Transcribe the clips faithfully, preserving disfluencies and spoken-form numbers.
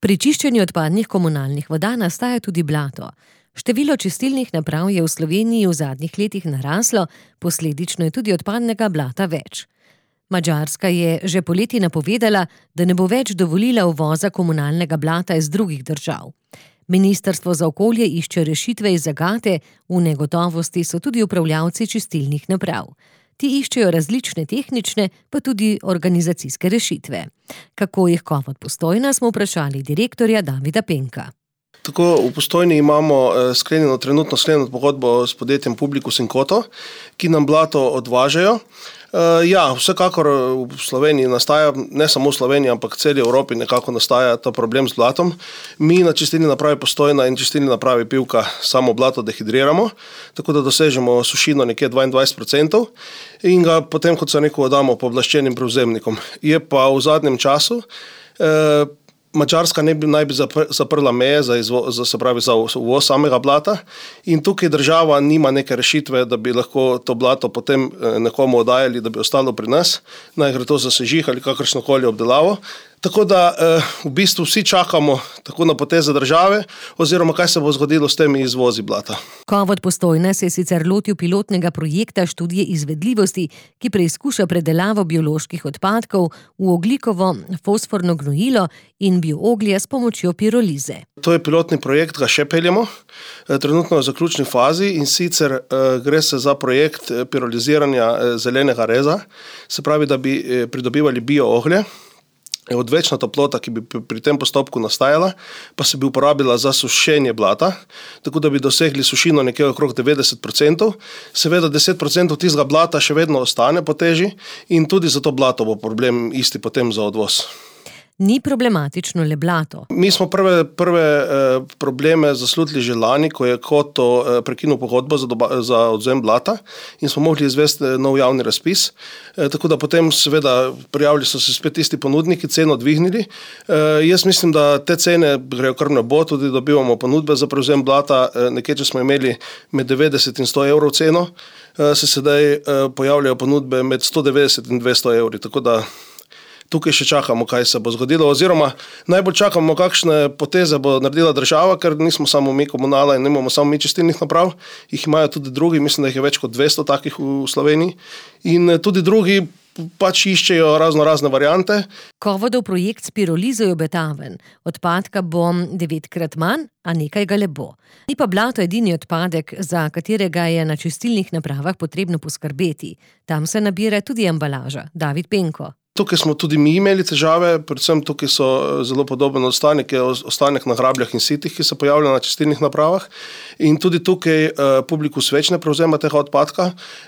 Pri čiščenju odpadnih komunalnih voda nastaja tudi blato. Število čistilnih naprav je v Sloveniji v zadnjih letih naraslo, posledično je tudi odpadnega blata več. Madžarska je že poleti napovedala, da ne bo več dovolila uvoza komunalnega blata iz drugih držav. Ministrstvo za okolje išče rešitve iz zagate, v negotovosti so tudi upravljavci čistilnih naprav. Ti iščejo različne tehnične, pa tudi organizacijske rešitve. Kako jih Kovod Postojna, smo vprašali direktorja Davida Penka. Tako, v Postojni imamo sklenjeno, trenutno sklenjeno pogodbo s podjetjem Publikus in Koto, ki nam blato odvažajo. Ja, vsekakor v Sloveniji nastaja, ne samo v Sloveniji, ampak v celi Evropi nekako nastaja ta problem z blatom. Mi na čistilni napravi Postojna in čistilni napravi Pivka samo blato dehidriramo, tako da dosežemo sušino nekje dvaindvajset procentov in ga potem, kot se rekel, damo pooblaščenim prevzemnikom. Je pa v zadnjem času eh, Madžarska ne bi, naj bi zaprla meje za, izvo, za, se pravi, za uvoz samega blata in tukaj država nima neke rešitve, da bi lahko to blato potem nekomu oddajali, da bi ostalo pri nas, naj gre to za sežig ali kakršnokoli obdelavo. Tako da v bistvu vsi čakamo tako na poteze države oziroma kaj se bo zgodilo s temi izvozi blata. Kovod Postojna se je sicer lotil pilotnega projekta študije izvedljivosti, ki preizkuša predelavo bioloških odpadkov v ogljikovo fosforno gnojilo in biooglje s pomočjo pirolize. To je pilotni projekt, ga še peljemo, trenutno v zaključni fazi in sicer gre se za projekt piroliziranja zelenega reza, se pravi, da bi pridobivali biooglje. Odvečna toplota, ki bi pri tem postopku nastajala, pa se bi uporabila za sušenje blata, tako da bi dosegli sušino nekje okrog devetdeset procentov. Seveda deset procentov tistega blata še vedno ostane po teži in tudi za to blato bo problem isti potem za odvoz. Ni problematično le blato. Mi smo prve, prve eh, probleme zaslutili že lani, ko je Koto eh, prekinil pogodbo za, doba, za odvzem blata in smo mogli izvesti nov javni razpis. Eh, tako da potem seveda prijavili so se spet isti ponudniki, ceno dvignili. Eh, jaz mislim, da te cene grejo kar nebo, tudi dobivamo ponudbe za prevzem blata. Eh, nekje, če smo imeli med devetdeset in sto evrov ceno, eh, se sedaj eh, pojavljajo ponudbe med sto devetdeset in dvesto evri, tako da tukaj še čakamo, kaj se bo zgodilo, oziroma najbolj čakamo, kakšne poteze bo naredila država, ker nismo samo mi komunala in nimamo samo mi čistilnih naprav, jih imajo tudi drugi, mislim, da jih je več kot dvesto takih v Sloveniji in tudi drugi pač iščejo razno razne variante. Kovodov projekt s pirolizo je obetaven. Odpadka bo devetkrat manj, a nekaj ga le bo. Ni pa blato edini odpadek, za katerega je na čistilnih napravah potrebno poskrbeti. Tam se nabira tudi embalaža. David Penko. Tukaj smo tudi mi imeli težave, predvsem tukaj so zelo podoben ostanek, ostanek na grabljah in sitih, ki se pojavlja na čistilnih napravah in tudi tukaj uh, Publikus več ne prevzema tega odpadka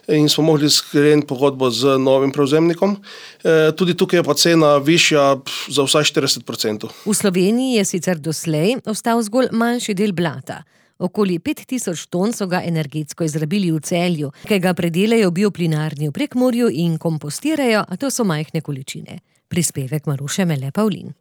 in smo mogli skleniti pogodbo z novim prevzemnikom. Uh, tudi tukaj je pa cena višja za vsaj štirideset procentov. V Sloveniji je sicer doslej ostal zgolj manjši del blata. Okoli pet tisoč ton so ga energetsko izrabili v Celju, ki ga predelajo bioplinarni v Prekmurju in kompostirajo, a to so majhne količine. Prispevek Maruše Mele Pavlin.